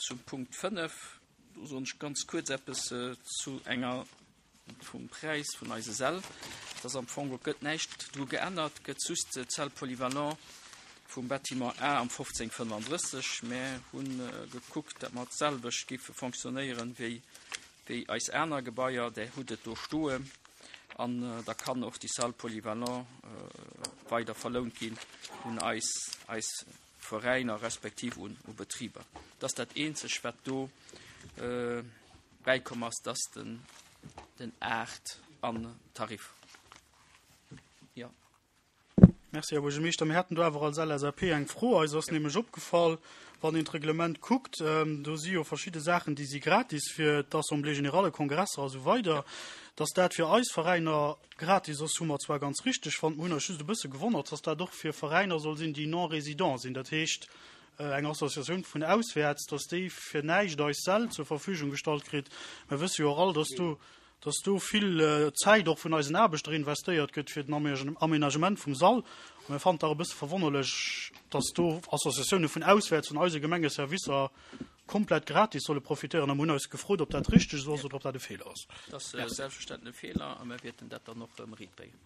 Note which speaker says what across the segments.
Speaker 1: zum Punkt 5. Do soen ech ganz kuerz eppes zu enger vum Präis vun eise Säll. Et ass am Fong, et gëtt näischt dru geännert, et gëtt just d'Salle polyvalent vum Bâtiment A am 1535. Mär hu gekuckt, datt mer d'selwecht géife fonctionnéieren wéi wéi eis aner Gebaier. Där hutt et do stoen. An da kann och déi Salle polyvalent weider verlount ginn un eis, eis Veräiner respektiv un u Betriber. Dat ass dat eenzeg, wat do bäikomm ass, dass den, den Aart an Tarif. Jo.
Speaker 2: Merci, Här Buergermeeschter. Mir haten do awer als LSAP eng Fro. Eis ass nämlech opgefall, wann een d'Reglement kuckt, do si jo verschidde Saachen, déi si gratis fir d'Assemblée générale, Kongresser a sou weider. Dass dat fir eis Veräiner Gratis ass, hu mer zwar ganz richteg fonnt, mer hunn eis just e bësse gewonnert, dass dat och fir Veräiner soll sinn, déi non-résidents sinn, dat heescht eng Associatioun vun auswäerts, dass déi fir näischt eis Säll zur Verfügung gestallt kritt. Mer wësse jo och all, dass do, dass do vill Zäit och vun eisen Aarbechter investéiert gëtt fir den Aménagement vum Sall. A mir fannen et dach e bësse verwonnerlech, dass do Associatioune vun auswäerts vun eise Gemengeservicer komplett gratis solle profitéieren a mir hunn eis gefrot, ob dat richteg esou ass oder ob dat e Feeler ass.
Speaker 1: Dat ass selbstverständlech e Feeler a mir wäerten dat dann och erëm eriitbréngen.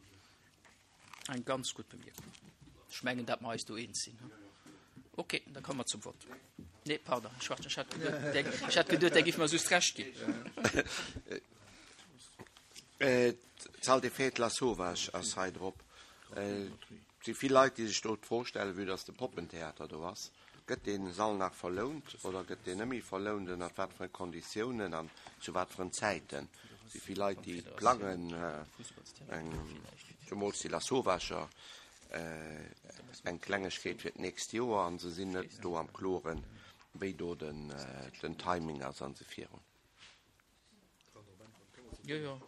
Speaker 1: Eng ganz gutt Bemierkung. Ech mengen, dat mer eis do eens sinn. Okay, da komme mer zum Vott. Nee, pardon, Här Schwarz, ech hat geduet, der, ech hat geduet, Der giff mer just Recht ginn.
Speaker 3: D'Salle des Fêtes Lasauvage ass hei drop. Et si vill Leit, déi sech do d'Fro stellen, vue dass de Poppentheater do ass. Gëtt dee Sall nach verlount oder gëtt deen net méi verlount? Ënnert wat fir Konditiounen an zu wat fir Zäiten? Et si vill Leit, déi plangen, eng, zemools déi Lasauvascher, eng Klengegkeet fir d'nächst Joer an se sinn net do am Kloren, wéi do den Timing ass a se virun.
Speaker 1: Jo, jo.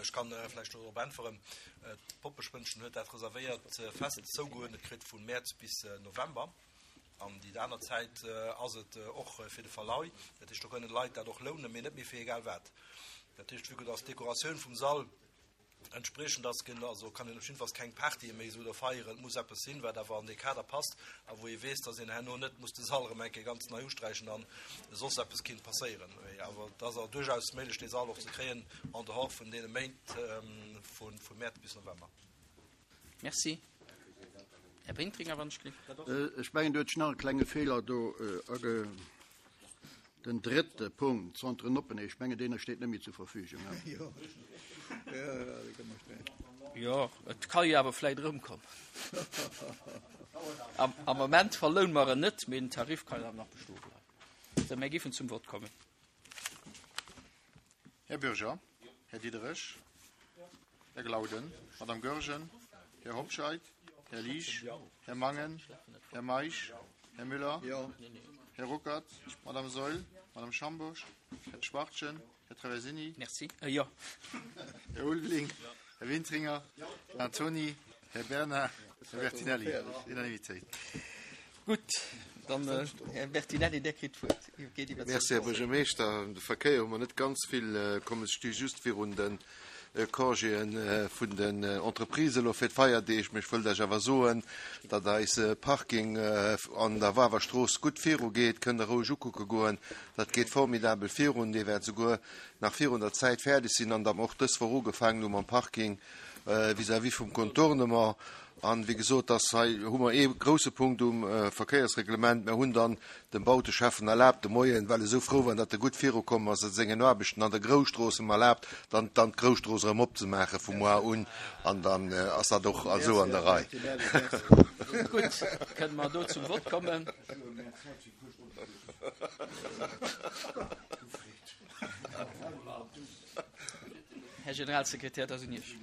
Speaker 4: Ech kann vläicht do drop äntweren. D'Poppespënnchen huet dat reservéiert fest zougeuerdnet kritt vu Mäerz bis November. An déi aner Zäit ass et och fir de Verlai. Dat heescht, do kënnen d'Leit dat och lounen, mee net méi fir egal wat. Dat heescht, vue que dass d'Dekoratioun vum Sall Entspriechend ass gen, also kann een op jiddefalls keng Partye méi esou do feieren. Et muss eppes sinn, wat awer an dee Kader passt a wou ee weess, dass een herno net muss de Sall erëm eng Kéier ganz nei usträichen an soss eppes kinnt passéieren. Mee awer et ass duerchaus méiglech, dee Sall och ze kréien en dehors vun deene Méint vu Mäerz bis November.
Speaker 1: Merci. Här Wintringer, wann ech gelift.
Speaker 5: Ech mengen, do huet sech nach e klenge Feeler do age. Den drëtte Punkt, Centre Noppeney, ech mengen, deen steet net méi zur Verfügung.
Speaker 1: Jo, et ka jo awer vläit erëmkommen. Am, am Moment verloune mer en net, mee den Tarif kann jo awer nach bestoe bleiwen. Sou, mir géifen zum Vott kommen.
Speaker 6: Här Bürger, Här Diderich, Här Glauden, Madame Goergen, Här Hobscheit, Här Liesch, Här Mangen, Här Meisch, Här Müller, Här Ruckert, Madame Saeul, Madame Schambourg, Här Schwachtgen, Här Traversini,
Speaker 1: Merci. Äh, jo.
Speaker 6: Här Ulveling, Här Wintringer, Här Antony, Här Bernard, Här Bertinelli. Unanimitéit.
Speaker 1: Gutt, dann Här Bertinelli, Dir kritt d'Wuert. Geet
Speaker 7: iwwer Merci, Här Buergermeeschter. De Verkéier hu mer net ganz vill komm. Ech sti just virun de Congéen vun den Entreprisen elo fir d'Feierdeeg. Mee ech wëllt Iech awer soen, datt eise Parking an der Wawerstrooss gutt virugeet. Kënnt Der roueg ukucke goen. Dat geet formidabel virun. Dee wäert souguer nach virun der Zäit fäerdeg sinn. An datt mer och dës Woch ugefaangen hu mam Parking vis-à-vis vum Contournement. An, wéi gesot, dass hei hu mer ee grouse Punkt um Verkéiersreglement. Mer hunn dann dem Bauteschäffen erlaabt de Moien, well e sou frou war, datt e gutt virukomm ass a sengen Aarbechten an der Grousstrooss, em erlaabt, dann dann d'Grousstrooss erëm opzemaache vu moar un. An dann ass dat och esou an der Rei.
Speaker 1: Gutt, kënne mer do zum Vott kommen? Här Generalsekretär, dat ass un Iech.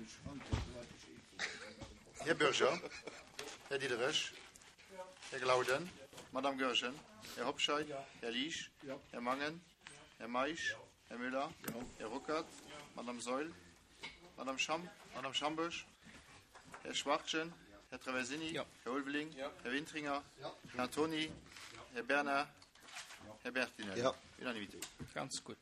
Speaker 6: Här Bürger, Här Diderich, Här Glauden, Madame Goergen, Här Hobscheit, Här Liesch, Här Mangen, Här Meisch, Här Müller, Här Ruckert, Madame Saeul, Madame Schamp, Madame Schambourg, Här Schwachtgen, Här Traversini, Här Ulveling, Här Wintringer, Här Antony, Här Bernard, Här Bertinelli. Unanimité.
Speaker 1: Ganz gutt.